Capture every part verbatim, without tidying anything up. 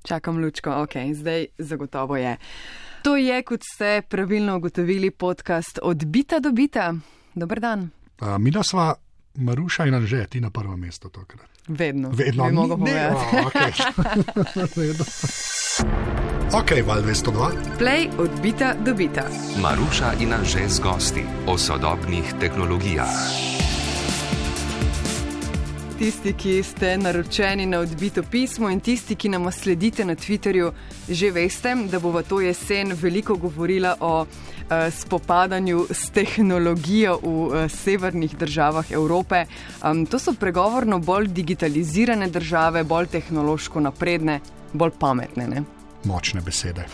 Čakam lučko, ok, zdaj zagotovo je. To je, kot ste pravilno ugotovili, podcast Od bita do bita. Dober dan. Uh, mi da sva Maruša in Anže, ti na prvo mesto tokrat. Vedno. Vedno. Bi mogel povedati. Oh, okay. Vedno. Ok, Val dvesto dva. Play Od bita do bita. Maruša in Anže z gosti o sodobnih tehnologijah. Tisti, ki ste naročeni na Odbito pismo in tisti, ki nam sledite na Twitterju, že veste, da bova to jesen veliko govorila o uh, spopadanju s tehnologijo v uh, severnih državah Evrope. Um, to so pregovorno bolj digitalizirane države, bolj tehnološko napredne, bolj pametne, ne? Močne besede.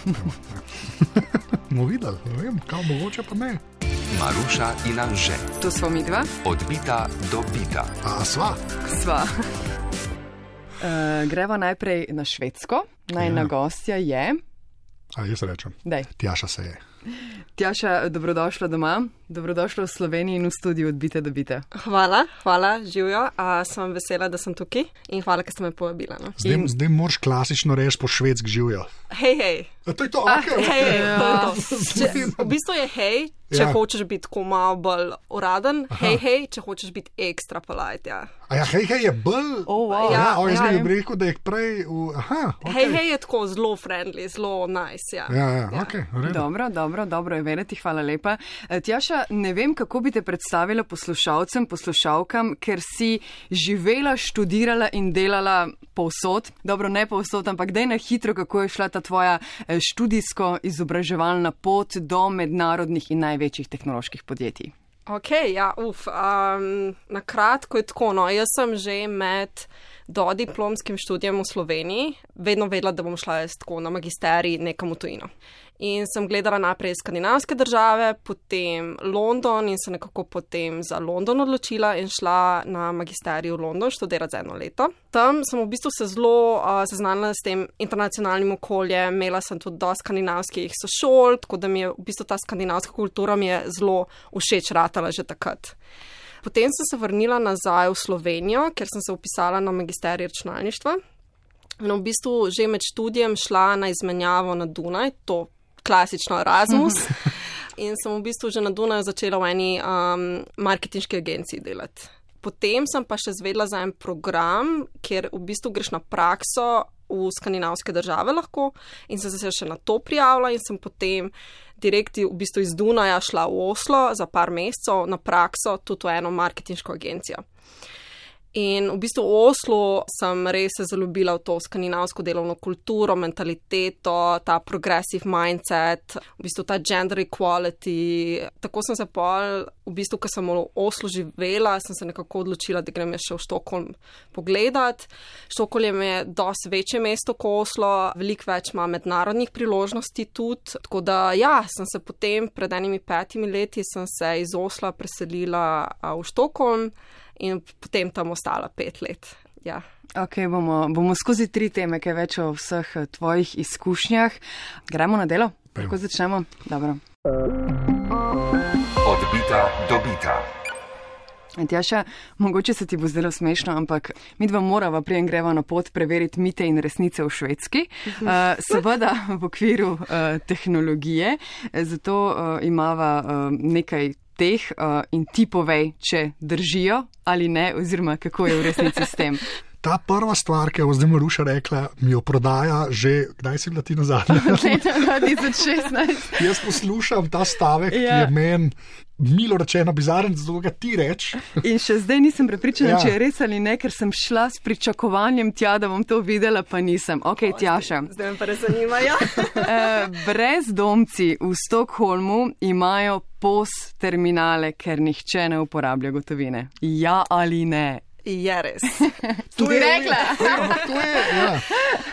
Mo videli, ne vem, kaj mogoče pa ne. Maruša in Anže. To smo mi dva. Od bita do bita. A sva? Sva. Uh, greva najprej na Švedsko. Najna ja. gostja je... A jaz rečem. Dej. Tjaša se je. Tjaša, dobrodošla doma. Dobrodošla v Sloveniji in v studiu Od bita do bita. Hvala, hvala, živijo. A sem vesela, da sem tukaj in hvala, ker ste me povabila. No. Zdaj, in... zdaj moraš klasično reči po švedsk živijo. Hej, hej. A to je to, ah, ok. Hej, hej, to je to. Če, v bistvu je hej, če ja. hočeš biti tako malo bolj uraden, Aha. hej, hej, če hočeš biti ekstra polite, ja. A ja, hej, hej je bolj... Oh, wow. Ja, o, jaz ja, bi rekel, da je prej v... Aha, ok. Hej, hej je tako zelo friendly, zelo nice, ja. Ja, ja, ja. ok, v redu. Dobro, dobro, dobro je vedeti, hvala lepa. Tjaša, ne vem, kako bi te predstavila poslušalcem, poslušalkam, ker si živela, študirala in delala povsod. Dobro, ne povsod, ampak daj na hitro, kako je šla ta tvoja študijsko-izobraževalna pot do mednarodnih in največjih tehnoloških podjetij. Ok, ja, uf, um, na kratko je tako, no, jaz sem že med dodiplomskim študijem v Sloveniji vedno vedela, da bom šla jaz tako na magisterij nekam v tujino. In sem gledala najprej skandinavske države, potem London in se nekako potem za London odločila in šla na magisterij v London študirati za eno leto. Tam sem v bistvu se zelo uh, seznanila s tem internacionalnim okoljem, imela sem tudi dosti skandinavskih sošol, tako da mi je v bistvu ta skandinavska kultura mi je zelo všeč ratala že takrat. Potem sem se vrnila nazaj v Slovenijo, ker sem se vpisala na magisterij računalništva. In v bistvu že med študijem šla na izmenjavo na Dunaj, to klasično Erasmus. In sem v bistvu že na Dunaju začela v eni um, marketinški agenciji delati. Potem sem pa še zvedela za en program, kjer v bistvu greš na prakso v skandinavske države lahko in sem se še na to prijavila in sem potem direkt v bistvu iz Dunaja šla v Oslo za par mesecev na prakso tudi v eno marketinško agencijo. In v bistvu v Oslu sem res se zaljubila v to skandinavsko delovno kulturo, mentaliteto, ta progressive mindset, v bistvu ta gender equality. Tako sem se pol, v bistvu, ko sem v Oslu živela, sem se nekako odločila, da grem še v Štokholm pogledat. Štokholm je dosti večje mesto kot Oslo, veliko več ima mednarodnih priložnosti tudi. Tako da ja, sem se potem pred enimi petimi leti sem se iz Osla preselila v Štokholm. In potem tam ostala pet let. Ja. Ok, bomo, bomo skozi tri teme, kaj več o vseh tvojih izkušnjah. Gremo na delo? Kako začnemo? Dobro. Od bita do bita. Tjaša, mogoče se ti bo zdelo smešno, ampak mi dva morava prijem greva na pot preveriti mite in resnice v Švedski. Uh, seveda v okviru uh, tehnologije, zato uh, imava uh, nekaj teh uh, in ti povej, če držijo ali ne, oziroma kako je v resnici s tem. Ta prva stvar, ki je zdaj Maruša rekla, mi jo prodaja že, kdaj si bila ti nazadnje? Leta dva tisoč šestnajst. Jaz poslušam ta stavek, ja. Ki je meni milo rečeno bizaren, zato ga ti reč. In še zdaj nisem prepričana, ja. Če je res ali ne, ker sem šla s pričakovanjem tja, da bom to videla, pa nisem. Ok, o, Tjaša. Zdaj me pa res zanima, ja. Brezdomci v Stockholmu imajo P O S terminale, ker nihče ne uporablja gotovine. Ja ali ne? Je res. To je rekla. To je, ja.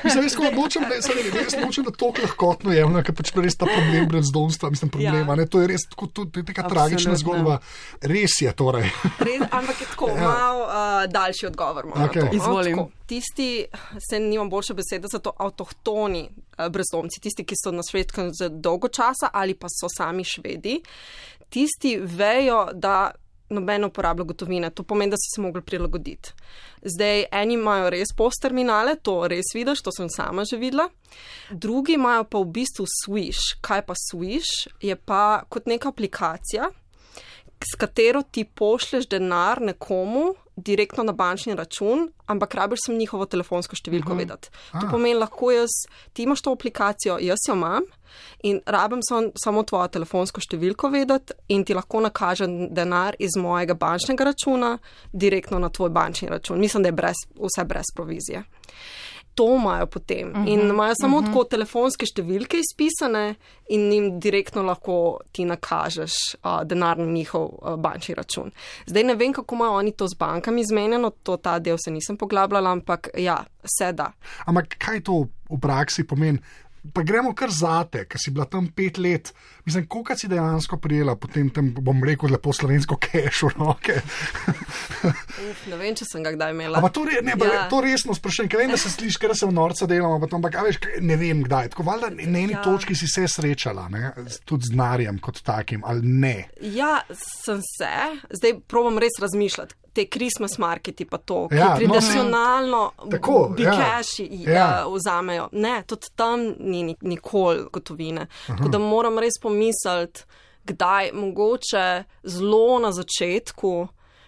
Mislim, res, ko nočem, res nočem, da to lahkotno je, ker pač res ta problem brezdomstva, mislim, problema, ja. Ne, to je res tako, to je taka tragična zgodba. Res je, torej. Res, ampak je tako, ja. Mal uh, daljši odgovor. Okay. Izvolim. Tako, tisti, se nimam boljše besede, za to avtohtoni uh, brezdomci, tisti, ki so na Švedskem že dolgo časa ali pa so sami Švedi, tisti vejo, da noben uporablja gotovine. To pomeni, da si se mogli prilagoditi. Zdaj, eni imajo res post terminale, to res vidiš, to sem sama že videla. Drugi imajo pa v bistvu Swish. Kaj pa Swish? Je pa kot neka aplikacija, s katero ti pošleš denar nekomu direktno na bančni račun, ampak rabiš sem njihovo telefonsko številko uh-huh. vedeti. To pomeni, lahko jaz, ti imaš to aplikacijo, jaz jo imam in rabim sam, samo tvojo telefonsko številko vedeti in ti lahko nakažem denar iz mojega bančnega računa direktno na tvoj bančni račun. Mislim, da je brez, vse brez provizije. To imajo potem uh-huh, in imajo samo uh-huh. tako telefonske številke izpisane in jim direktno lahko ti nakažeš uh, denar na njihov uh, bančni račun. Zdaj ne vem, kako imajo oni to z bankami izmenjeno, to ta del se nisem poglabljala, ampak ja, se da. Ampak kaj to v praksi pomeni? Pa gremo kar zate, ker si bila tam pet let. Mislim, koliko si dejansko prijela potem tem, bom rekel, lepo slovensko keš v roke? Uf, ne vem, če sem ga kdaj imela. Ampak to, re, ne, ja. to resno sprašujem, ker vem, da se sliši, ker se v norca delamo, ampak veš, ne vem kdaj. Tako valjda na eni ja. točki si se srečala, ne? Tudi z denarjem kot takim, ali ne? Ja, sem se. Zdaj probam res razmišljati. Te Christmas marketi pa to, ki ja, tradicionalno no, bikeši ja. uh, vzamejo. Ne, tudi tam ni nikoli gotovine. Uh-huh. Tako da moram res pomisliti, kdaj, mogoče zelo na začetku,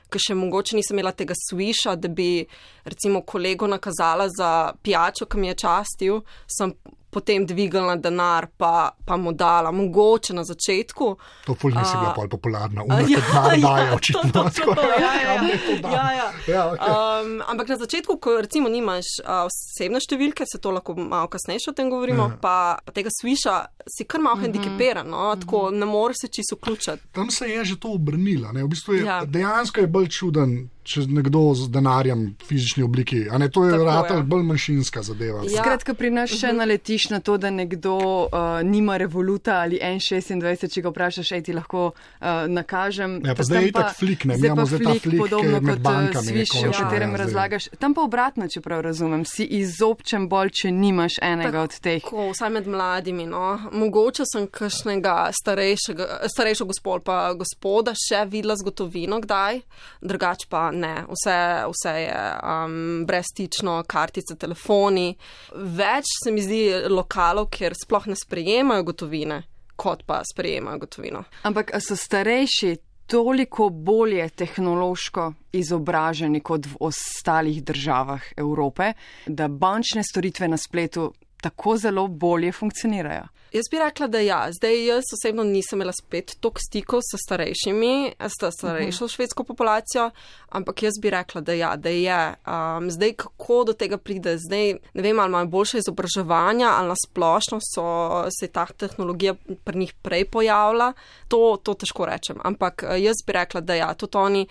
ker še mogoče nisem imela tega Swisha, da bi recimo kolego nakazala za pijačo, ki mi je častil, sem potem dvigalna denar, pa, pa mu dala, mogoče na začetku. To ful nisi bila pol popularna, umek, ja, denar daje ja, očitno. To, to, to, to, ja, ja, ja, ja. ja, okay. um, ampak na začetku, ko recimo nimaš uh, osebne številke, se to lahko malo kasnejše o tem govorimo, ja. pa, pa tega Swisha si kar malo mm-hmm. hendikepiran, no? Tako mm-hmm. ne moreš se čisto vključiti. Tam se je že to obrnila, ne? V bistvu je, ja. dejansko je bolj čuden, če nekdo z denarjem v fizični obliki, a ne, to je ratelj bolj manjšinska zadeva. Ja. Skratka, pri nas še uh-huh. naletiš na to, da nekdo uh, nima Revoluta ali en šestindvajset, če ga vprašaš, ej, ti lahko uh, nakažem. Ja, pa zdaj je itak flik, ne, imamo zdaj ta flik podobno med kot bankami. Swish, o katerem ja, razlagaš. Tam pa obratno, če prav razumem, si izobčen bolj, če nimaš enega tako, od teh. Tako, vsaj med mladimi, no. Mogoče sem kakšnega starejšega gospod, pa gospoda še videla z gotovino kdaj, drugač pa ne, vse vse je um, brezstično, kartice, telefoni. Več se mi zdi lokalov, kjer sploh ne sprejemajo gotovine, kot pa sprejemajo gotovino. Ampak so starejši toliko bolje tehnološko izobraženi kot v ostalih državah Evrope, da bančne storitve na spletu tako zelo bolje funkcionirajo? Jaz bi rekla, da ja. Zdaj jaz osebno nisem imela spet toliko stikov s starejšimi, s starejšo uh-huh. švedsko populacijo, ampak jaz bi rekla, da ja, da je. Um, zdaj, kako do tega pride? Zdaj, ne vem, ali imajo boljše izobraževanja, ali na splošno so, se je ta tehnologija pri njih prej pojavila. To, to težko rečem, ampak jaz bi rekla, da ja, tudi oni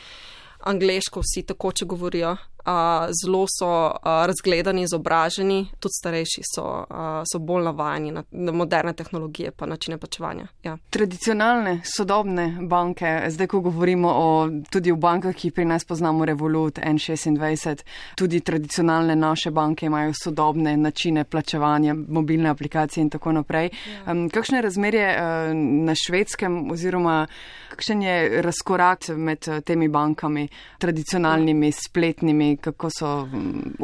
angleško vsi tako, če govorijo. Uh, zelo so uh, razgledani, izobraženi, tudi starejši so, uh, so bolj navajeni na, na moderne tehnologije pa načine plačevanja. Ja. Tradicionalne, sodobne banke, zdaj ko govorimo o, tudi o bankah, ki pri nas poznamo Revolut, en šestindvajset, tudi tradicionalne naše banke imajo sodobne načine plačevanja, mobilne aplikacije in tako naprej. Ja. Um, kakšno je razmerje uh, na Švedskem oziroma kakšen je razkorak med uh, temi bankami, tradicionalnimi, spletnimi, kako so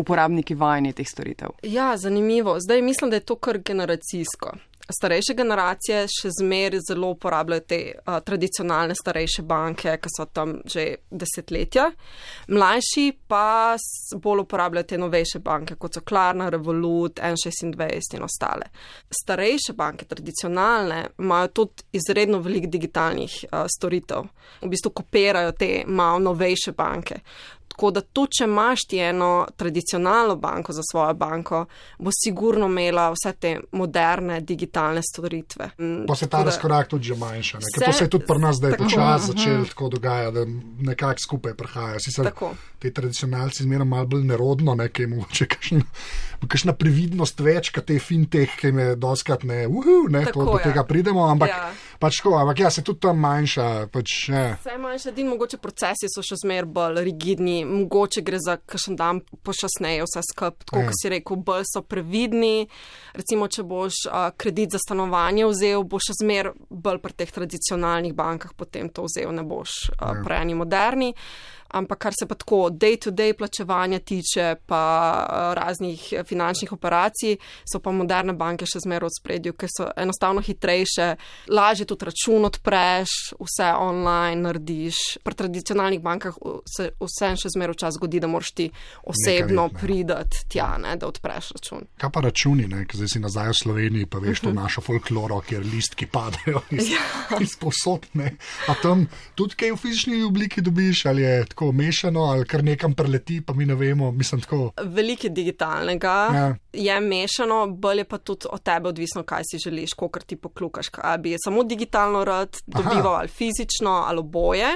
uporabniki vajeni teh storitev? Ja, zanimivo. Zdaj mislim, da je to kar generacijsko. Starejše generacije še zmeraj zelo uporabljajo te uh, tradicionalne starejše banke, ki so tam že desetletja. Mlajši pa bolj uporabljajo te novejše banke, kot so Klarna, Revolut, en šestindvajset in ostale. Starejše banke, tradicionalne, imajo tudi izredno veliko digitalnih uh, storitev. V bistvu kopirajo te malo novejše banke. Tako da tudi, če imaš ti eno tradicionalno banko za svojo banko, bo sigurno imela vse te moderne digitalne storitve. Pa se ta razkorak tudi že manjša, ker to se je tudi pri nas, da je počas začel tako dogaja, da nekako skupaj prihaja. Sicer te tradicionalci zmeraj malo bolj nerodno, ne, ki je mogoče kakšna previdnost več, kot te fintech, ki me doskrat ne, uhu, ne, to, do tega pridemo, ampak ja. pač ko, ampak ja, se tudi tam manjša. Pač, ja. Vse manjša, din mogoče procesi so še zmeraj bolj rigidni, mogoče gre za kakšen dan počasneje vse skupaj, tako kot si rekel, bolj so previdni. Recimo, če boš uh, kredit za stanovanje vzel, boš še zmer bolj pri teh tradicionalnih bankah potem to vzel, ne boš uh, prej ni moderni. Ampak kar se pa tako day-to-day plačevanja tiče, pa raznih finančnih operacij, so pa moderne banke še zmeraj v spredju, ker so enostavno hitrejše, lažje tudi račun odpreš, vse online narediš. Pri tradicionalnih bankah se vse še zmeraj včasih zgodi, da moraš ti osebno pridati tja, ne, da odpreš račun. Kaj pa računi, ne? Ker zdaj si nazaj v Sloveniji, pa veš to našo folkloro, kjer listki padajo iz, iz posod, ne? A tam tudi kaj v fizični obliki dobiš, ali je tako mešano, ali kar nekam preleti, pa mi ne vemo, mislim tako. Veliko digitalnega ja. Je mešano, bolj je pa tudi od tebe odvisno, kaj si želiš, kolikor ti poklukaš, kaj bi je samo digitalno rad dobival ali fizično ali oboje.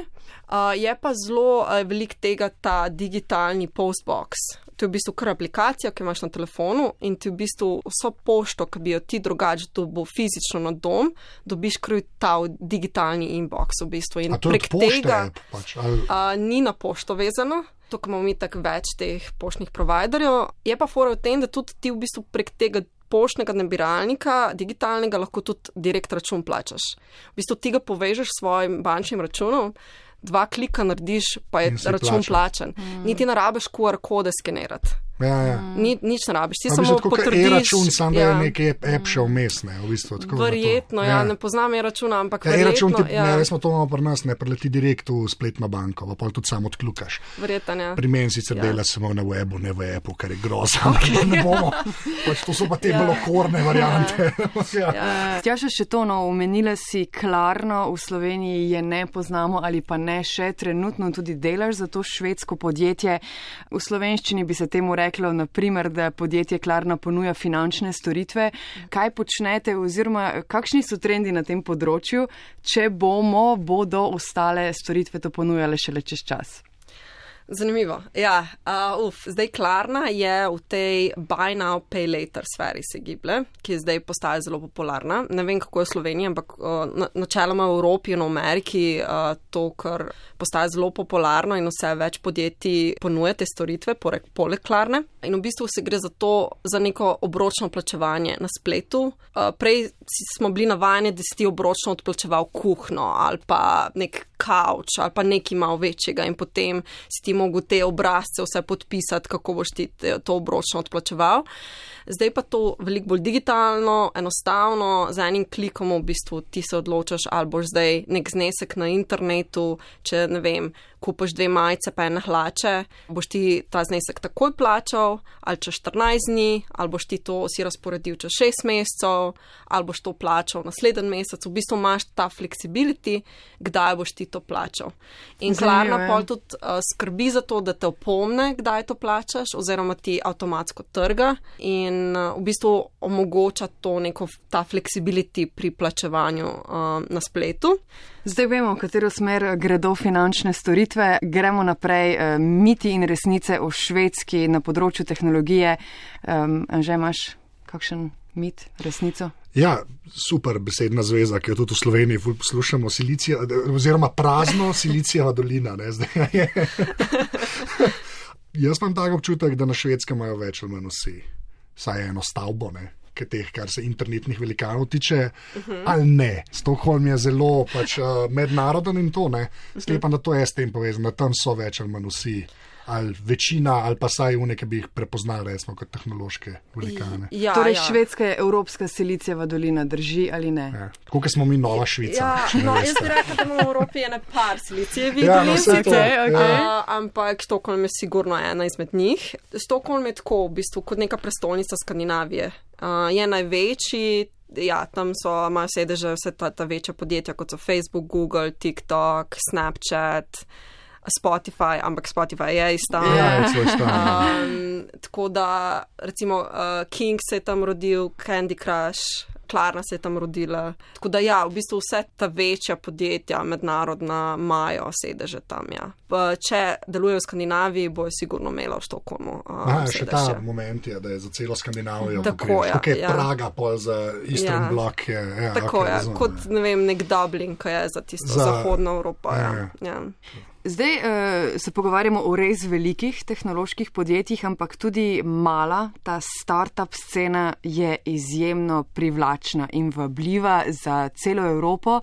Uh, je pa zelo uh, veliko tega ta digitalni postbox. To je v bistvu kar aplikacija, ki imaš na telefonu in ti v bistvu vso pošto, ki bi jo ti drugače dobil fizično na dom, dobiš kar ta digitalni inbox v bistvu. In a to prek od pošte tega je pač, ali... uh, ni na pošto vezano. Tukaj imamo mi tako več teh poštnih providerjev. Je pa fora v tem, da tudi ti v bistvu prek tega poštnega nabiralnika, digitalnega, lahko tudi direkt račun plačaš. V bistvu ti ga povežeš s svojim bančnim računom, dva klika narediš, pa je račun plačan. Mm. Niti ne rabiš Q R kode skenirati. Ja, ja. Ni, nič ne rabiš, ti a samo tako, potrdiš. E-račun, sam da ja. je neki app še vmes, ne, v bistvu. Tako verjetno, ja, ne poznam e-računa, ampak ja, verjetno. E-račun ti, ja. ne, smo to imamo pri nas, ne, preleti direkt v spletno banko, pa pol tudi sam odklukaš. Verjetno, ja. Pri meni sicer ja. dela samo na webu, ne v appu, kar je grozno. Okay. Ne bomo, pač to so pa te ja. bolj okorne variante. ja. ja. Tjaša, še to, no, omenila si Klarno, v Sloveniji je ne poznamo ali pa ne še trenutno tudi delaš za to švedsko podjetje. V slovenščini bi se temu reklo, na primer, da podjetje Klarna ponuja finančne storitve. Kaj počnete oziroma kakšni so trendi na tem področju, če bomo, bodo ostale storitve to ponujale šele čez čas? Zanimivo. Ja, uh, uf, zdaj Klarna je v tej buy now, pay later sferi se giblje, ki je zdaj postaja zelo popularna. Ne vem, kako je v Sloveniji, ampak uh, na, načeloma v Evropi in v Ameriki uh, to, kar postaja zelo popularno in vse več podjetij ponuja te storitve, poleg, poleg Klarne. In v bistvu se gre za to, za neko obročno plačevanje na spletu. Uh, prej smo bili navajeni, da si ti obročno odplačeval kuhno ali pa nek kavč ali pa nekaj malo večjega in potem si ti mogel te obrazce vse podpisati, kako boš ti to obročno odplačeval. Zdaj pa to veliko bolj digitalno, enostavno, z enim klikom v bistvu ti se odločaš, ali boš zdaj nek znesek na internetu, če ne vem, kupaš dve majice pa ene hlače, boš ti ta znesek takoj plačal, ali čez štirinajst dni, ali boš ti to si razporedil čez šest mesecev, ali boš to plačal naslednji mesec. V bistvu imaš ta flexibility, kdaj boš ti to plačal. In Klarna pol tudi uh, skrbi za to, da te opomne, kdaj to plačaš, oziroma ti avtomatsko trga in uh, v bistvu omogoča to neko, ta flexibility pri plačevanju uh, na spletu. Zdaj vemo, v katero smer gredo finančne storitve. Gremo naprej. Miti in resnice o Švedski na področju tehnologije. Um, Anže, imaš kakšen mit, resnico? Ja, super besedna zveza, ki jo tudi v Sloveniji poslušamo, Silicija, oziroma prazno Silicijeva dolina. Ne, zdaj je. Jaz imam tak občutek, da na Švedskem imajo več ali manj vsi. Saj eno stavbo, ne. Teh, kar se internetnih velikanov tiče, uh-huh. ali ne. Stockholm je zelo pač, uh, mednaroden in to, ne. Sklepam, uh-huh. da to je s tem povezano, da tam so več ali manj vsi, ali večina, ali pa saj v nekaj bi jih prepoznali, recimo, kot tehnološke velikane. Ja, torej, ja. Švedska je evropska Silicijeva dolina, drži ali ne? Ja. Tako, kot smo mi Nova Švica. Ja, no, jaz bi rekla, da imamo v Evropi ene par Silicijevih ja, dolin, no, okay, okay. uh, ampak Stockholm je sigurno ena izmed njih. Stockholm je tako, v bistvu, kot neka prestolnica Skandinavije. Uh, je največji, ja, tam so, imajo sedeže vse ta, ta večja podjetja, kot so Facebook, Google, TikTok, Snapchat, Spotify, ampak Spotify je istan. Ja, je istan. Um, tako da, recimo, uh, King se je tam rodil, Candy Crush, Klarna se je tam rodila. Tako da ja, v bistvu vse ta večja podjetja, mednarodna, imajo sedeže tam, ja. Če delujejo v Skandinaviji, bojo sigurno imela v Stockholmu. Uh, Aha, še ta moment je, da je za celo Skandinavijo. Tako je, okay, ja. Praga pol za Eastern ja. Bloc je. Ja, tako okay, je, razumem, kot, ne vem, nek Dublin, ki je za tisto za... zahodno Evropo, ja. ja. ja. Zdaj uh, se pogovarjamo o res velikih tehnoloških podjetjih, ampak tudi mala, ta startup scena je izjemno privlačna in vabljiva za celo Evropo,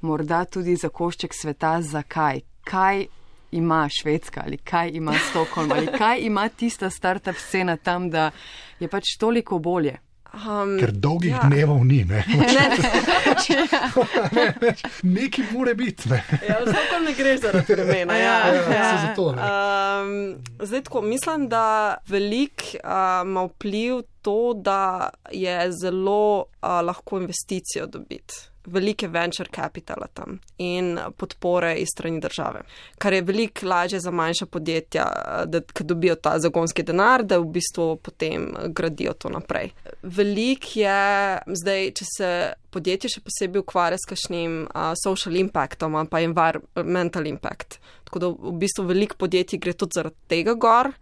morda tudi za košček sveta. Zakaj? Kaj ima Švedska ali kaj ima Stockholm ali kaj ima tista startup scena tam, da je pač toliko bolje? Um, Ker dolgih ja. dnevov ni, ne? ne, ne. Nekaj mora biti, ne? Ja, zato ne gre zaradi vremena. Ja, ja, ja. Zato, um, zdaj tako, mislim, da velik uh, ima vpliv to, da je zelo uh, lahko investicijo dobiti. Velike venture capitala tam in podpore iz strani države, kar je veliko lažje za manjša podjetja, da ko dobijo ta zagonski denar, da v bistvu potem gradijo to naprej. Velik je zdaj, če se podjetje še posebej ukvarja s kakšnim uh, social impactom ali pa environmental impact. Tako da v bistvu veliko podjetij gre tudi zaradi tega gor,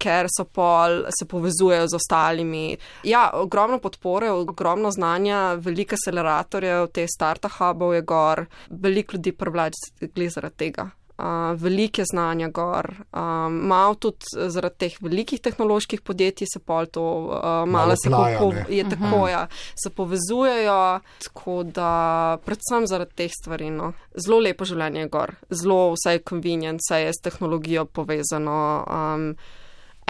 ker so pol, se povezujejo z ostalimi. Ja, ogromno podpore, ogromno znanja, veliko akceleratorjev, te startup hubov je gor, veliko ljudi privlač glede zaradi tega. Uh, veliko je znanja gor. Um, malo tudi zaradi teh velikih tehnoloških podjetij se pol to uh, malo se plaja, po, je tako, uh-huh. ja, se povezujejo, tako da predvsem zaradi teh stvari, no. Zelo lepo življenje je gor, zelo vse je convenient, vse je s tehnologijo povezano. Um,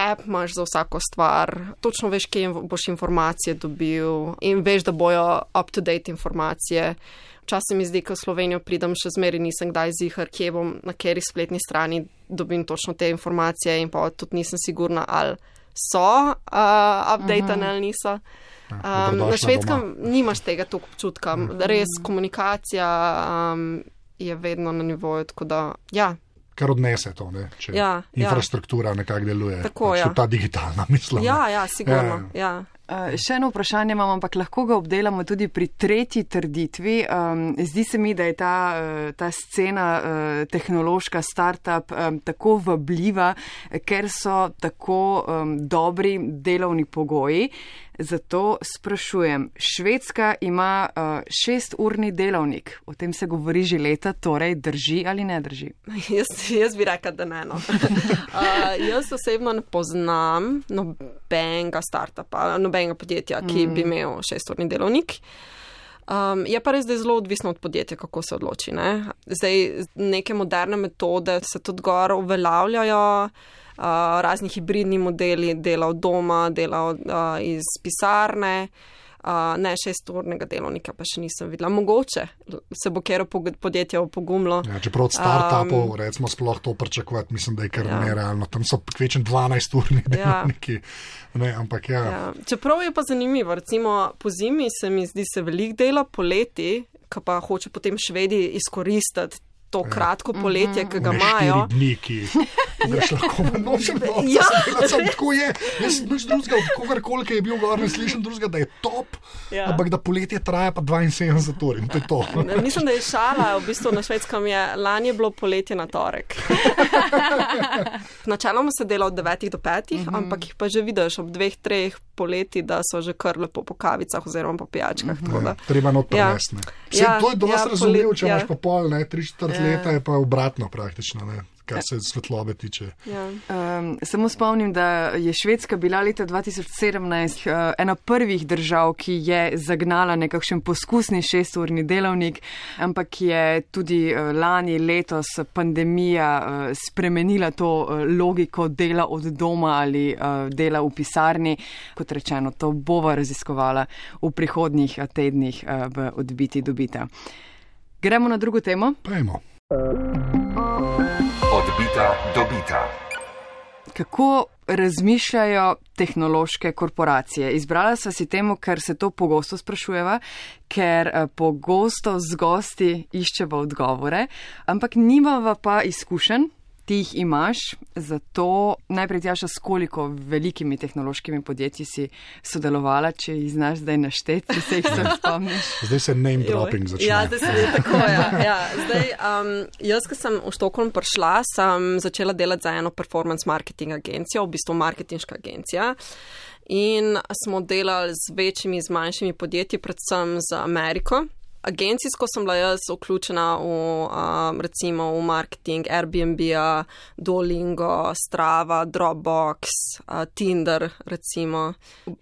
App imaš za vsako stvar, točno veš, kje boš informacije dobil in veš, da bojo up-to-date informacije. Včasih mi zdi, ko v Slovenijo pridem, še zmeri nisem kdaj zihar, kje bom, na kateri spletni strani dobim točno te informacije in pa tudi nisem sigurna, ali so uh, updatane ali niso. Um, na Švedskem nimaš tega toliko občutka. Res komunikacija um, je vedno na nivoju, tako da ja. Kar odnese to, ne? Če ja, infrastruktura ja. nekako deluje. Tako, pač ja. ta digitalna, mislim. Ja, ja, sigurno. Ja. Ja. Uh, še eno vprašanje imam, ampak lahko ga obdelamo tudi pri tretji trditvi. Um, zdi se mi, da je ta, uh, ta scena uh, tehnološka startup um, tako vabljiva, ker so tako um, dobri delovni pogoji. Zato sprašujem, Švedska ima uh, šesturni delovnik, o tem se govori že leta, torej drži ali ne drži? Jaz, jaz bi rekla, da ne. No. uh, jaz osebno ne poznam nobenega startupa, nobenega podjetja, ki mm. bi imel šesturni delovnik. Um, je pa res, da je zelo odvisno od podjetja, kako se odloči. Ne? Zdaj, neke moderne metode se tudi gor uveljavljajo, uh, razni hibridni modeli, dela od doma, dela od, uh, iz pisarne, uh, ne šesturnega delovnika pa še nisem videla. Mogoče se bo kero podjetje opogumlo. Ja, čeprav od startupov, um, recimo, sploh to pričakovati, mislim, da je kar ja. nerealno. Tam so kvečen dvanajsturni delovniki. Ja. Ne, ampak ja. Ja. Čeprav je pa zanimivo, recimo po zimi se mi zdi se veliko dela, poleti, ki pa hoče potem Švedi izkoristiti to kratko poletje, ki ga imajo. Ne štiri dni, ki greš lahko na nočem noč. Ja. Tako je. Jaz nič drugega, od kogarkoli, ki je bil gor, ne slišim drugega, da je top, ja. ampak da poletje traja pa dvainsedemdeset ur in to je to. Mislim, da je šala, v bistvu na Švedskem je, lani je bilo poletje na torek. Načeloma se dela od devetih do petih, uh-huh. ampak jih pa že vidiš ob dveh, treh poleti, da so že kar lepo po kavicah oziroma po pijačkah. Uh-huh. Treba not prevesne. Ja. Ja, to je dosti ja, razumljivo, če ja. imaš pa pol, ne, tri četrt ja. leta je pa obratno praktično, ne. Kar se svetlobe tiče. Ja. Um, samo spomnim, da je Švedska bila leta dva tisoč sedemnajst uh, ena prvih držav, ki je zagnala nekakšen poskusni šesturni delovnik, ampak je tudi uh, lani, letos pandemija uh, spremenila to uh, logiko dela od doma ali uh, dela v pisarni. Kot rečeno, to bova raziskovala v prihodnjih tednih uh, v Odbiti dobita. Gremo na drugo temo? Pejmo. Odbita dobita. Kako razmišljajo tehnološke korporacije? Izbrala sva si temu, ker se to pogosto sprašujeva, ker pogosto z gosti iščeva odgovore, ampak nimava pa izkušenj, ti jih imaš, zato najprej Tjaša, s koliko velikimi tehnološkimi podjetji si sodelovala, če jih znaš zdaj našteti, če se jih sem spomniš. Zdaj se name dropping začne. Ja, zdaj se je tako, ja. ja. Zdaj, um, jaz, ko sem v Stockholm prišla, sem začela delati za eno performance marketing agencijo, v bistvu marketinška agencija. In smo delali z večjimi, z manjšimi podjetji, predvsem z Ameriko. agencijsko sem bila jaz vključena v, um, recimo v marketing Airbnb-a, Duolingo, Strava, Dropbox, uh, Tinder, recimo.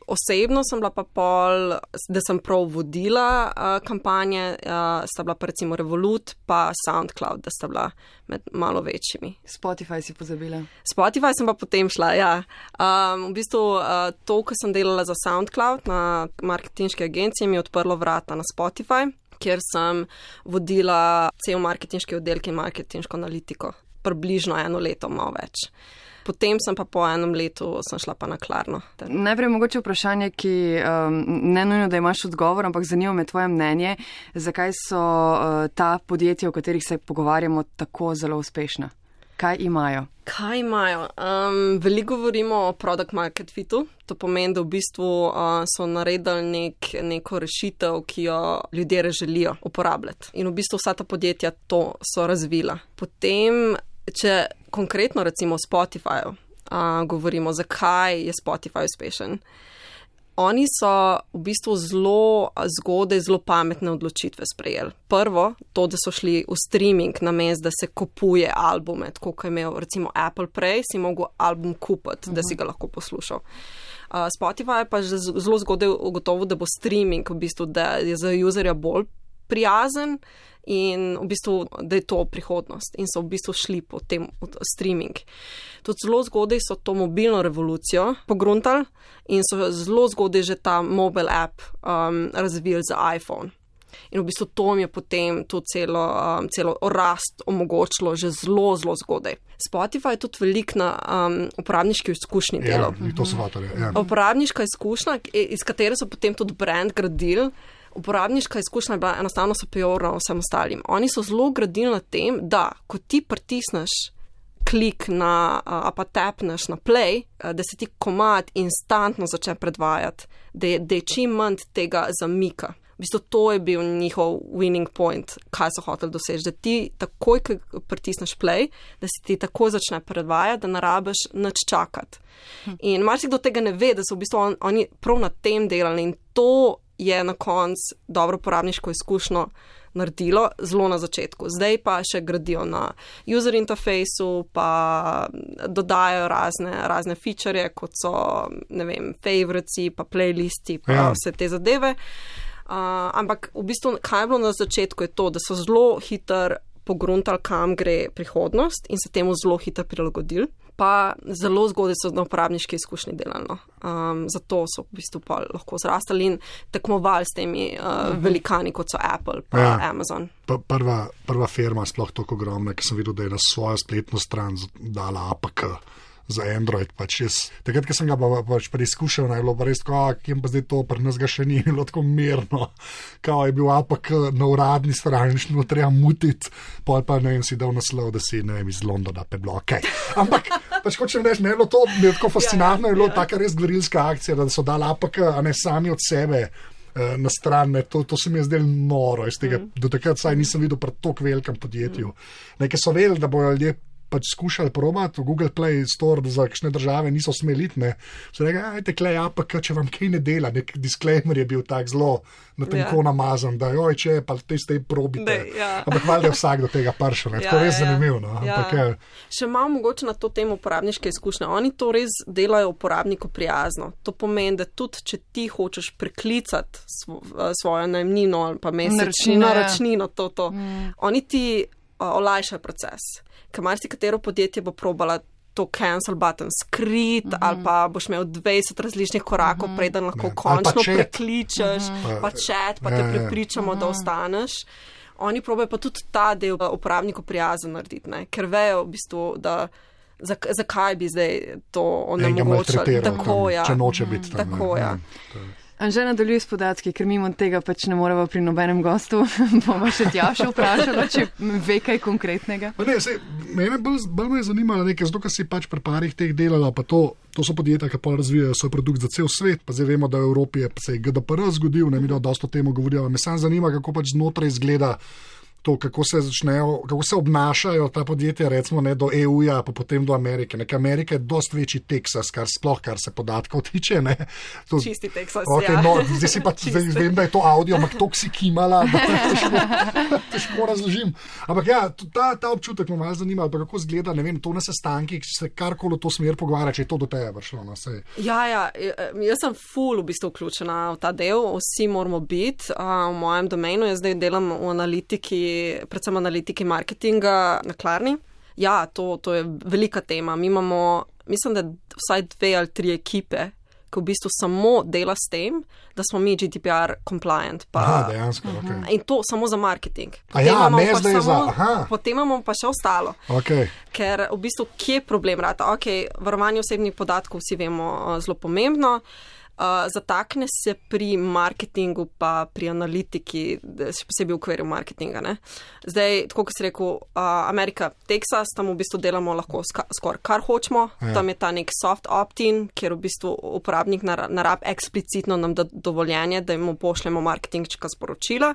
Osebno sem bila pa pol, da sem prav vodila uh, kampanje, uh, sta bila pa recimo Revolut pa SoundCloud, da sta bila med malo večjimi. Spotify si pozabila? Spotify sem pa potem šla, ja. Um, v bistvu uh, to, ko sem delala za SoundCloud na marketinški agenciji, mi je odprlo vrata na Spotify, kjer sem vodila cel marketinški oddelek in marketinško analitiko. Približno eno leto, malo več. Potem sem pa po enem letu sem šla pa na Klarno. Najprej mogoče vprašanje, ki um, ne nujno, da imaš odgovor, ampak zanima me tvoje mnenje, zakaj so uh, ta podjetja, o katerih se pogovarjamo, tako zelo uspešna? Kaj imajo? Kaj imajo? Um, veliko govorimo o product market fitu. To pomeni, da v bistvu uh, so naredili nek, neko rešitev, ki jo ljudje želijo uporabljati. In v bistvu vsa ta podjetja to so razvila. Potem, če konkretno recimo o Spotifyju uh, govorimo, zakaj je Spotify uspešen. Oni so v bistvu zelo zgodaj, zelo pametne odločitve sprejeli. Prvo, to, da so šli v streaming namesto, da se kupuje albume, tako kot je imel recimo Apple prej, si mogel album kupiti, uh-huh. da si ga lahko poslušal. Uh, Spotify pa je že zelo zgodaj ugotovil, da bo streaming v bistvu, da je za userja bolj prijazen in v bistvu, da je to prihodnost in so v bistvu šli po tem streaming. Tudi zelo zgodaj so to mobilno revolucijo pogruntali in so zelo zgodaj že ta mobile app um, razvili za iPhone. In v bistvu to mi je potem to celo, um, celo rast omogočilo že zelo, zelo zgodaj. Spotify je tudi velik na um, uporabniški izkušnji delal. Ja, to so vatali, ja. Uporabniška izkušnja, iz katere so potem tudi brand gradili. Uporabniška izkušnja je bila enostavno superiorna vsem ostalim. Oni so zelo gradili na tem, da ko ti pritisneš klik na, a pa tapneš na play, da se ti komad instantno začne predvajati, da je, da je čim manj tega zamika. V bistvu to je bil njihov winning point, kaj so hoteli doseči, da ti takoj, ko pritisneš play, da se ti takoj začne predvajati, da ne rabiš nič čakati. In marsikdo tega ne ve, da so v bistvu on, oni prav na tem delali in to je na koncu dobro uporabniško izkušnjo naredilo, zelo na začetku. Zdaj pa še gradijo na user interfaceu, pa dodajajo razne, razne feature, kot so, ne vem, favoritesi, pa playlisti, pa ja. Vse te zadeve. Uh, ampak v bistvu, kaj je bilo na začetku, je to, da so zelo hitro pogruntali, kam gre prihodnost in se temu zelo hitro prilagodili. Pa zelo zgodaj so na uporabniški izkušnji delali. Um, zato so v bistvu pa lahko zrastali in tekmovali s temi uh, velikani, kot so Apple pa ja. Amazon. Pa prva, prva firma sploh tako ogromna, ki sem videl, da je na svojo spletno stran dala A P K za Android. Pač jaz, takrat, ko sem ga pa, pač preizkušal, je bilo pa res tako, kjem pa zdaj to, pri nas ga še ni bilo tako mirno. Kao je bil A P K na uradni strani, šlo treba mutiti, pol pa ne vem, si dal naslov, da si, ne vem, iz Londona, pa je bilo okej. Okay. Ampak, pač hočem reči, ne, bilo to, bilo tako fascinantno, je bilo taka res gverilska akcija, da so dali A P K, a ne sami od sebe na stran, ne, to, to se mi je zdelo noro, iz tega, mm. do takrat saj nisem videl pri tako velikem podjetju. Mm. Nekaj so vedeli, da bojo ljudje pač skušali probati v Google Play Store, za kakšne države niso smeli iti, ne. So rekli, ajte, klej A P K, če vam kaj ne dela, nek disclaimer je bil tak zelo na tenko yeah. namazan, da joj, če pa te ste probite. Ne, ja. Ampak valjda je vsak do tega pršel, ne, tako ja, res ja. Zanimivo, no. Ja. Ampak je... Še malo mogoče na to temo uporabniške izkušnje. Oni to res delajo uporabniku prijazno. To pomeni, da tudi, če ti hočeš preklicati svo, svojo najemnino ali pa mesečnino, račnino, to, to, mm. oni ti uh, olajšajo proces. Ker marsikatero podjetje bo probala to cancel button skrit, mm-hmm. ali pa boš imel dvajset različnih korakov, mm-hmm. preden lahko ne. Končno prekličeš, mm-hmm. pa chat, pa te prepričamo, mm-hmm. da ostaneš. Oni probajo pa tudi ta del uporabniku prijazen narediti, ne? Ker vejo v bistvu, da zakaj bi zdaj to onemogočali. Tako, ja. Če noče biti tam. Tako, ja. ja. Anže nadaljuje s podatki, ker mimo tega pač ne moremo pri nobenem gostu. Bomo še Tjašo vprašali, če ve kaj konkretnega. Ne, sej, mene bolj, bolj me je zanimalo nekaj, zato ker si pač pri parih teh delala, pa to, to so podjetja, ki pa razvijajo svoj produkt za cel svet, pa zdaj vemo, da v Evropi je se je G D P R zgodil, ne mi da dosto temu govorijo, me sam zanima, kako pač znotraj izgleda to, kako se začnejo, kako se obnašajo ta podjetja, recimo ne do E U-ja, pa potem do Amerike. Nek Amerika je dost večji Teksas, kar sploh, kar se podatkov tiče. Ne. To, čisti Teksas, okay, ja. No, zdaj si pa zdaj vem, da je to audio, ampak to si kimala, da težko, težko razložim. Ampak ja, ta, ta občutek me malo zanima, pa kako zgleda, ne vem, to na sestankih, če se karkoli v to smer pogovarja, če je to do tebe prišlo. No, ja, ja, jaz sem ful v bistvu vključena v ta del, vsi moramo biti. Uh, v mojem domenu jaz zdaj delam v analitiki, predvsem analitiki marketinga na Klarni. Ja, to, to je velika tema. Mi imamo, mislim, da vsaj dve ali tri ekipe, ki v bistvu samo dela s tem, da smo mi G D P R compliant. Pa, aha, dejansko, ok. In to samo za marketing. A ja, ne zdaj za, aha. Potem imamo pa še ostalo. Okay. Ker v bistvu, kje je problem rata? Ok, varovanje osebnih podatkov vsi vemo zelo pomembno. Uh, zatakne se pri marketingu pa pri analitiki, še posebej v okviru marketinga. Ne? Zdaj, tako kot si rekel, uh, Amerika, Teksas, tam v bistvu delamo lahko ska, skoraj kar hočemo. Ja. Tam je ta nek soft opt-in, kjer v bistvu uporabnik narab eksplicitno nam da dovoljenje, da jim pošljemo marketinška sporočila.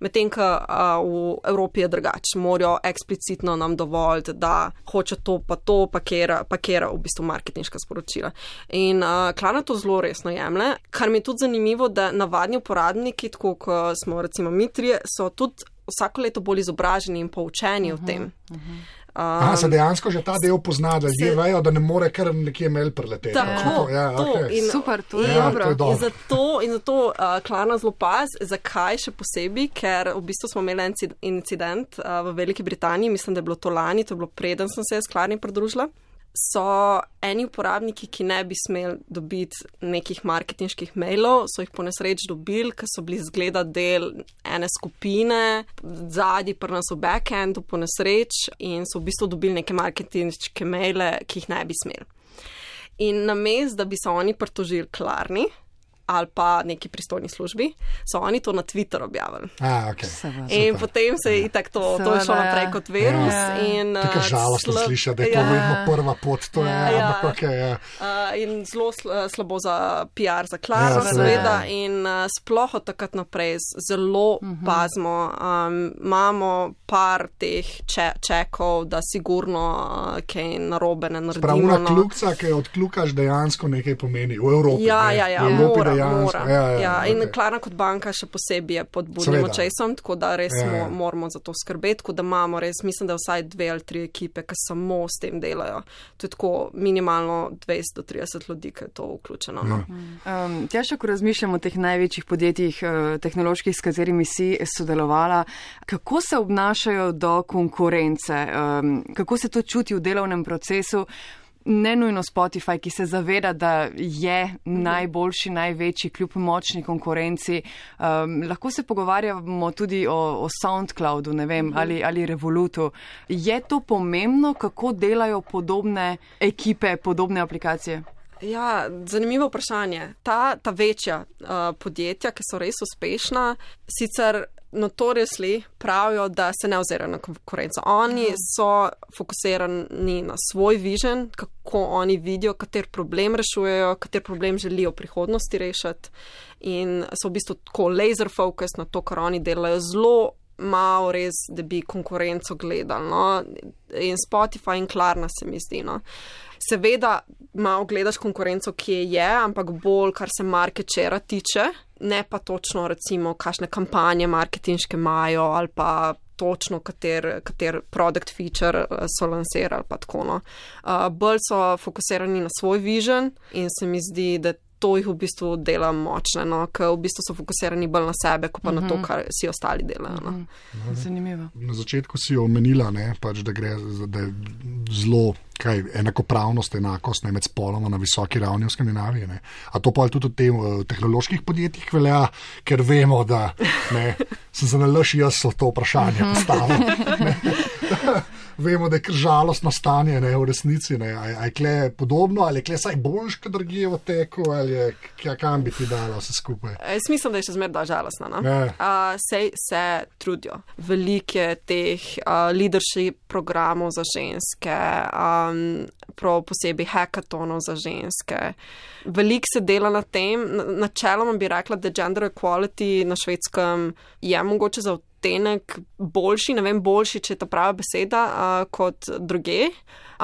Medtem, ko uh, v Evropi je drugače. Morajo eksplicitno nam dovoliti, da hoče to pa to, pa kera, pa kera v bistvu marketinška sporočila. In uh, Klarna to zelo resno je. Kar mi je tudi zanimivo, da navadni uporabniki, tako kot smo recimo mi trije, so tudi vsako leto bolj izobraženi in poučeni uh-huh, o tem. Uh-huh. Um, Aha, se dejansko že ta del pozna, da ljudje vejo, da ne more kar nekje mail preleteti. Tako, ja, to. Okay. In, super, to je ja, dobro. To je dobro. In zato, in zato uh, Klarna zelo paz, zakaj še posebej, ker v bistvu smo imeli incident uh, v Veliki Britaniji, mislim, da je bilo to lani, to je bilo preden sem se s Klarni pridružila. So eni uporabniki, ki ne bi smeli dobiti nekih marketinških mailov, so jih po nesreč dobili, ker so bili zgleda del ene skupine, zadnji pri nas v backendu po nesreč in so v bistvu dobili neke marketinške maile, ki jih ne bi smeli. In namesto, da bi se oni pritožili Klarni ali pa neki pristojni službi, so oni to na Twitter objavili. A, okay. In super. Potem se je itak to, to je šlo naprej kot virus. Ja. In, uh, Tako žalostno sl- sliša, da je to ja. vedno prva pot. To je, ja. ampak okay, ja. uh, in zelo sl- slabo za P R, za Klarno, ja, seveda. In uh, sploh od takrat naprej zelo uh-huh. pazimo. Um, imamo par teh če- čekov, da sigurno uh, kaj narobe ne naredimo. Pravna no. kljuka, ki odkljukaš, dejansko nekaj pomeni v Evropi. Ja, ja, ja. V Evropi mora, dejansko. Mora. Ja, ja, ja, okay. In Klarna kot banka še posebej je pod budnim očesom, tako da res ja, ja. moramo za to skrbeti, tako da imamo res, mislim, da vsaj dve ali tri ekipe, ki samo s tem delajo. To je tako minimalno dvesto do trideset ljudi, ki je to vključeno. No. Ja. Um, Tjaša, ko razmišljam o teh največjih podjetjih uh, tehnoloških, s katerimi si sodelovala, kako se obnašajo do konkurence, um, kako se to čuti v delovnem procesu? Ne nujno Spotify, ki se zaveda, da je najboljši, največji kljub močni konkurenci. Um, lahko se pogovarjamo tudi o, o SoundCloudu, ne vem, ali, ali Revolutu. Je to pomembno, kako delajo podobne ekipe, podobne aplikacije? Ja, zanimivo vprašanje. Ta, ta večja uh, podjetja, ki so res uspešna, sicer notoriously pravijo, da se ne ozirajo na konkurenco. Oni so fokusirani na svoj vision, kako oni vidijo, kater problem rešujejo, kater problem želijo v prihodnosti rešiti in so v bistvu tako laser focus na to, kar oni delajo, zelo malo res, da bi konkurenco gledali. No? In Spotify in Klarna se mi zdi. No? Seveda malo gledaš konkurenco, ki je, ampak bolj, kar se market share tiče, ne pa točno recimo, kakšne kampanje marketinške imajo ali pa točno, kater, kater product feature so lansirali pa tako. No. Uh, bolj so fokusirani na svoj vision in se mi zdi, da to jih v bistvu dela močne, no, ker v bistvu so fokusirani bolj na sebe, kot pa uh-huh. na to, kar si ostali delajo. No. Uh-huh. Zanimivo. Na začetku si jo omenila, ne, pač, da gre da je zelo kaj, enakopravnost, enakost ne, med spoloma na visoki ravni v Skandinaviji. Ne. A to pa tudi v tem v tehnoloških podjetjih velja, ker vemo, da ne, sem se nalaš jaz so to vprašanje postavil. Vemo, da je kar žalostno stanje, ne, v resnici. Ne. A, a je kle podobno, ali je kle saj boljš, kad drugje v teku, ali je, kam bi ti dala vse skupaj? Jaz mislim, da je še zmer da žalostno. No? Uh, se, se trudijo. Velike teh uh, leadership programov za ženske, um, prav posebej hackathonov za ženske. Veliko se dela na tem. Načeloma bi rekla, da gender equality na Švedskem je mogoče za odtenek boljši, ne vem, boljši, če je ta prava beseda, uh, kot druge,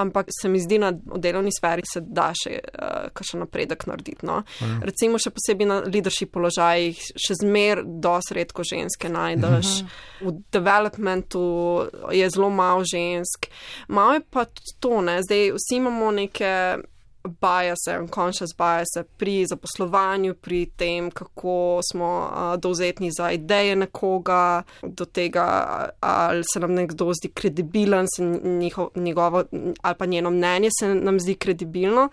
ampak se mi zdi, na delovni sferi se da še uh, kakšen napredek narediti. No? Mm. Recimo še posebej na leadership položajih, še zmer dosti redko ženske najdeš. Mm-hmm. V developmentu je zelo malo žensk. Malo je pa to, ne, zdaj vsi imamo neke biase, unconscious biase pri zaposlovanju, pri tem, kako smo uh, dovzetni za ideje nekoga, do tega, ali se nam nekdo zdi kredibilen, se njiho, njegovo, ali pa njeno mnenje se nam zdi kredibilno.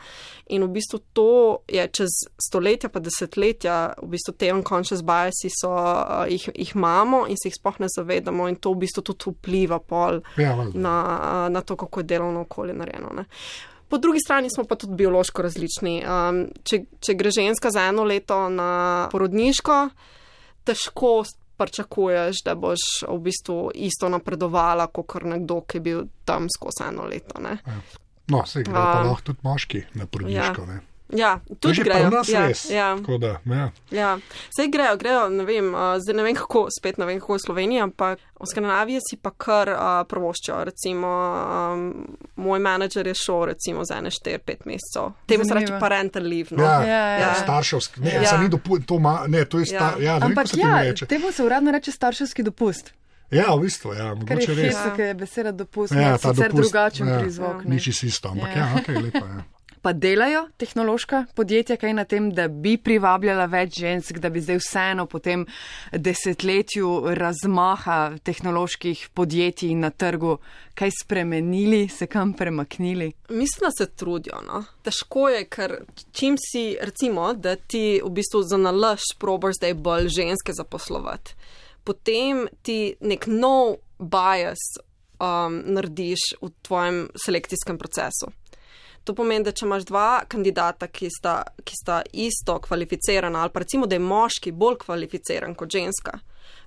In v bistvu to je čez stoletja pa desetletja, v bistvu te unconscious biasi so, uh, jih, jih imamo in se jih sploh ne zavedamo in to v bistvu tudi vpliva pol ja, na, uh, na to, kako je delovno okolje narejeno. Ne. Po drugi strani smo pa tudi biološko različni. Um, če, če gre ženska za eno leto na porodniško, težko pričakuješ, da boš v bistvu isto napredovala, kot nekdo, ki je bil tam skozi eno leto. Ne? No, se gre pa lahko tudi moški na porodniško. Ja. Ja, tudi grejo. Ja, ja. Da, ja. Ja. Sej grejo, grejo, ne vem, uh, zdaj ne vem kako, spet ne vem kako v Sloveniji, ampak v Skandinaviji si pa kar uh, prvoščajo. Recimo, um, moj menedžer je šel recimo za ene štiri, pet mesecev. Temu se reče parental leave. No? Ja, ja, ja. Starševski. Ne, ja. Ni dopu, to, ma, ne, to je star, ja. Ja, ampak ja, temu se uradno reče starševski dopust. Ja, v bistvu, ja, mogoče res. Ker je fisa, ker je beseda dopust, ja, sicer dopust, drugačen ja, prizvok. Ni čisto isto, ampak ja, ja ok, lepo je. Ja. Pa delajo tehnološka podjetja kaj na tem, da bi privabljala več žensk, da bi zdaj vseeno po tem desetletju razmaha tehnoloških podjetij na trgu kaj spremenili, se kam premaknili? Mislim, da se trudijo. No? Težko je, ker čim si, recimo, da ti v bistvu za nalaž probaš zdaj bolj ženske zaposlovati. Potem ti nek nov bias um, narediš v tvojem selekcijskem procesu. To pomeni, da če imaš dva kandidata, ki sta, ki sta isto kvalificirana, ali pa recimo, da je moški bolj kvalificiran kot ženska,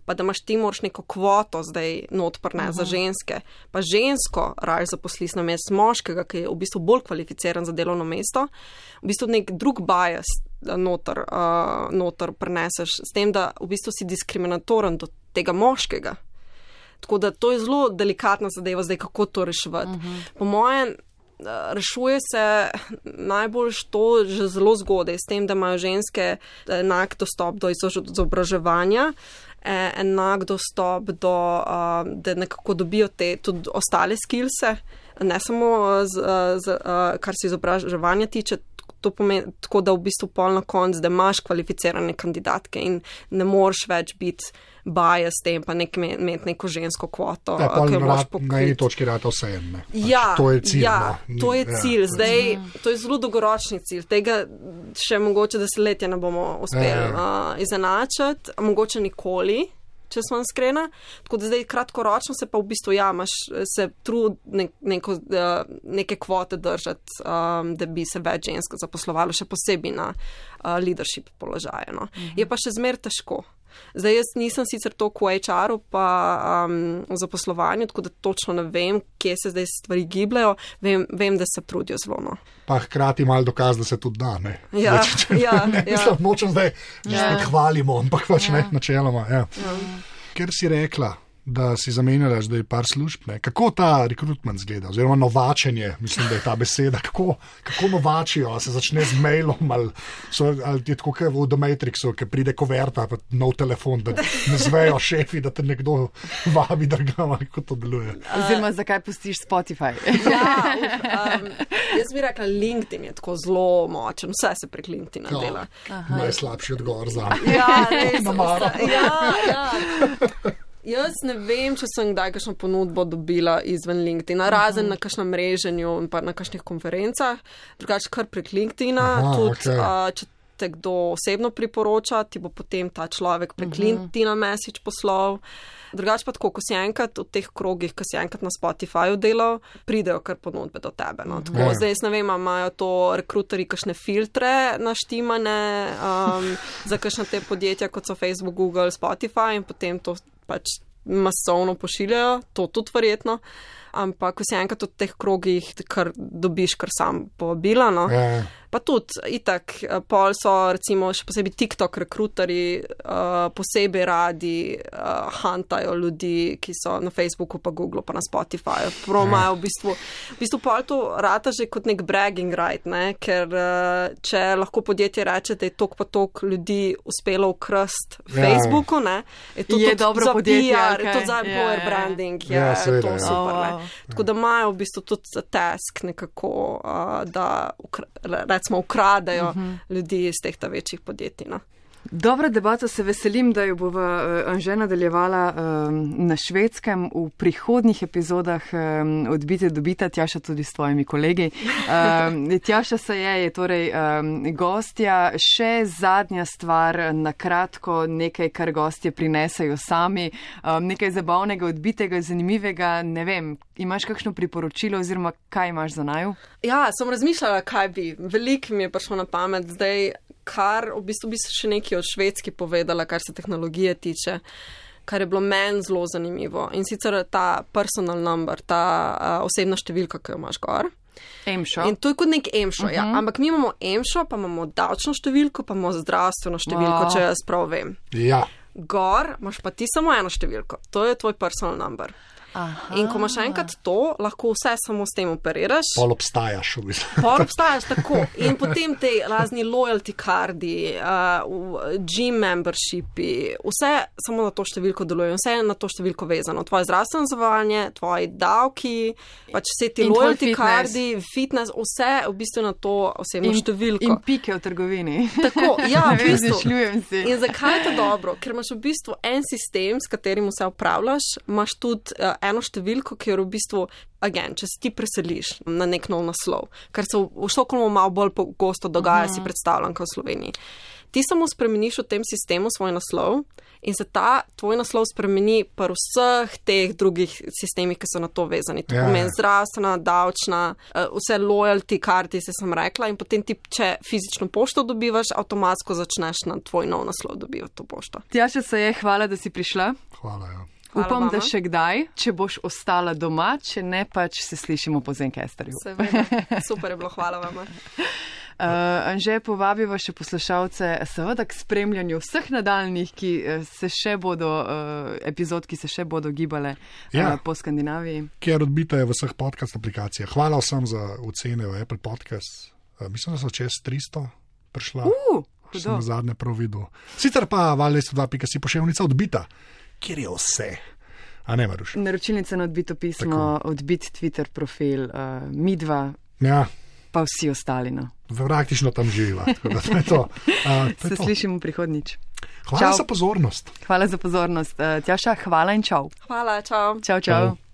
pa da imaš ti moraš neko kvoto zdaj not prne za ženske, pa žensko raje zaposliš na mesto moškega, ki je v bistvu bolj kvalificiran za delovno mesto, v bistvu nek drug bias noter, uh, noter preneseš s tem, da v bistvu si diskriminatoren do tega moškega. Tako da to je zelo delikatna zadeva zdaj, kako to reševati. Uh-huh. Po mojem, rešuje se najbolj to že zelo zgodaj, s tem, da imajo ženske enak dostop do izobraževanja, enak dostop do, da nekako dobijo te tudi ostale skillse, ne samo z, z, kar se izobraževanja tiče, to pomeni tako, da v bistvu pol na konc, da imaš kvalificirane kandidatke in ne moreš več biti bias s tem, pa nek, imeti neko žensko kvoto. Ja, pol rad, na eni točki rata vse ene. Ja, to je cilj. Ja, no. to je cilj. Ja. Zdaj, to je zelo dolgoročni cilj. Tega še mogoče desetletja ne bomo uspeli ja, ja. uh, izenačiti, mogoče nikoli, če smo iskreni. Tako da zdaj kratkoročno se pa v bistvu ja, imaš se trud ne, neko, uh, neke kvote držati, um, da bi se več žensk zaposlovalo, še posebej na uh, leadership položaje. No. Mhm. Je pa še zmer težko. Zdaj, jaz nisem sicer toliko v H R-u pa um, v zaposlovanju, tako da točno ne vem, kje se zdaj stvari gibljajo, vem, vem da se trudijo zelo. No. Pa hkrati malo dokaz, da se tudi da, ne? Ja, zdaj, če, ja, ne, ja. Mislim, nočem zdaj, že ja. spet hvalimo, ampak pač ja. ne, načeloma. Ja. Ja. Ker si rekla, da si zamenjala zdaj par služb, ne? Kako ta rekrutment zgleda, oziroma novačenje, mislim, da je ta beseda, kako, kako novačijo, ali se začne z mailom, ali, so, ali je tako kot v The Matrixu, ki pride koverta, pa nov telefon, da ne zvejo šefi, da te nekdo vabi drugam, ali kako to deluje. Oziroma, zakaj pustiš Spotify? Ja, um, jaz bi rekla, LinkedIn je tako zelo močen, vse se prek LinkedIna no, dela. Najslabši odgovor za ja, res, ja, ja. Jaz ne vem, če sem kdaj kakšno ponudbo dobila izven LinkedIna, razen uh-huh. na kakšnem mreženju in pa na kakšnih konferencah, drugače kar prek LinkedIna, Aha, tudi okay. uh, če te kdo osebno priporoča, ti bo potem ta človek prek uh-huh. LinkedIna message poslal. Drugače pa tako, ko si enkrat v teh krogih, ko si enkrat na Spotifyju delal, pridejo kar ponudbe do tebe. No. Tako, yeah. Zdaj, ne vem, imajo to rekruterji kakšne filtre naštimane um, za kakšne te podjetja, kot so Facebook, Google, Spotify in potem to pač masovno pošiljajo, to tudi verjetno. Ampak, ko si enkrat v teh krogih, kar dobiš kar sam povabila, no. Yeah. Pa tudi, itak, pol so recimo še posebej TikTok rekruterji uh, posebej radi uh, huntajo ljudi, ki so na Facebooku, pa Googlu, pa na Spotifyju. Promajo v bistvu, v bistvu pol to rata že kot nek bragging right, ne? Ker uh, če lahko podjetje reče, da je tok pa tok ljudi uspelo ukrst Facebooku, ne? Je to je dobro za podjetje, P R, okay. je to za employer yeah, branding, je ja, seveda, to ja. super, oh, ne? wow. Tako da imajo v bistvu tudi za task nekako, uh, da ukra recimo ukradajo uh -huh. ljudi iz teh ta večjih podjetij, no. Dobra debata, se veselim, da jo bova uh, Anže nadaljevala um, na Švedskem v prihodnjih epizodah um, Odbite dobita, Tjaša tudi s tvojimi kolegi. Um, Tjaša se je, je torej um, gostja. Še zadnja stvar, na kratko, nekaj, kar gostje prinesejo sami, um, nekaj zabavnega, odbitega, zanimivega, ne vem, imaš kakšno priporočilo oziroma kaj imaš za naju? Ja, sem razmišljala, kaj bi. Veliko mi je prišlo na pamet zdaj, kar v bistvu bi se še nekaj o Švedski povedala, kar se tehnologije tiče, kar je bilo meni zelo zanimivo. In sicer ta personal number, ta uh, osebna številka, ki jo imaš gor. Emšo. In to je kot nek emšo, uh -huh. ja. Ampak mi imamo emšo, pa imamo davčno številko, pa imamo zdravstveno številko, oh. če jaz prav vem. Ja. Gor imaš pa ti samo eno številko. To je tvoj personal number. Aha. In ko imaš enkrat to, lahko vse samo s tem operiraš. Pol obstajaš, v bistvu. Pol obstajaš, tako. In potem te razni loyalty kardi, uh, gym membershipi, vse samo na to številko delujejo, vse je na to številko vezano. Tvoje zdravstveno zavarovanje, tvoji davki, pač vse ti loyalty kardi, fitness, vse v bistvu na to osebno in, številko. In pike v trgovini. Tako, ja, v bistvu. Si. In zakaj je to dobro? Ker imaš v bistvu en sistem, s katerim vse upravljaš, imaš tudi uh, eno številko, ki jo v bistvu, again, če se ti preseliš na nek nov naslov, kar se v, v Štokholmu malo bolj pogosto dogaja, uh -huh. si predstavljam, kot v Sloveniji. Ti samo spremeniš v tem sistemu svoj naslov in se ta tvoj naslov spremeni pri vseh teh drugih sistemih, ki so na to vezani. To ja, pomeni ja. zdravstvena, davčna, vse loyalty karti, se sem rekla, in potem ti, če fizično pošto dobivaš, avtomatsko začneš na tvoj nov naslov dobivati to pošto. Tjaša se je, hvala, da si prišla. Hvala, ja. Hvala Upam, vama. Da še kdaj, če boš ostala doma, če ne pač se slišimo po Zencasterju. Seveda, super je bilo, hvala vama. Uh, Anže, povabiva še poslušalce seveda k spremljanju vseh nadaljnih, ki se še bodo, uh, epizod, ki se še bodo gibale ja. uh, po Skandinaviji. Kjer odbita je v vseh podcast aplikacijah. Hvala vsem za ocene v Apple Podcast. Uh, mislim, da so čez tristo prišla. Uh, sem na zadnje prav videl. Sicer pa valjda dva pika si pošiljnica Odbita, kjer je vse. A ne, Maruš? Naročilnica na Odbito pismo, tako. Odbit Twitter profil, uh, midva. Ja. Pa vsi ostali, no. Praktično tam živiva. To je to. Uh, to Se je to. slišimo prihodnič. Hvala čau. za pozornost. Hvala za pozornost. Uh, Tjaša, hvala in čau. Hvala, čau. Čau, čau. čau.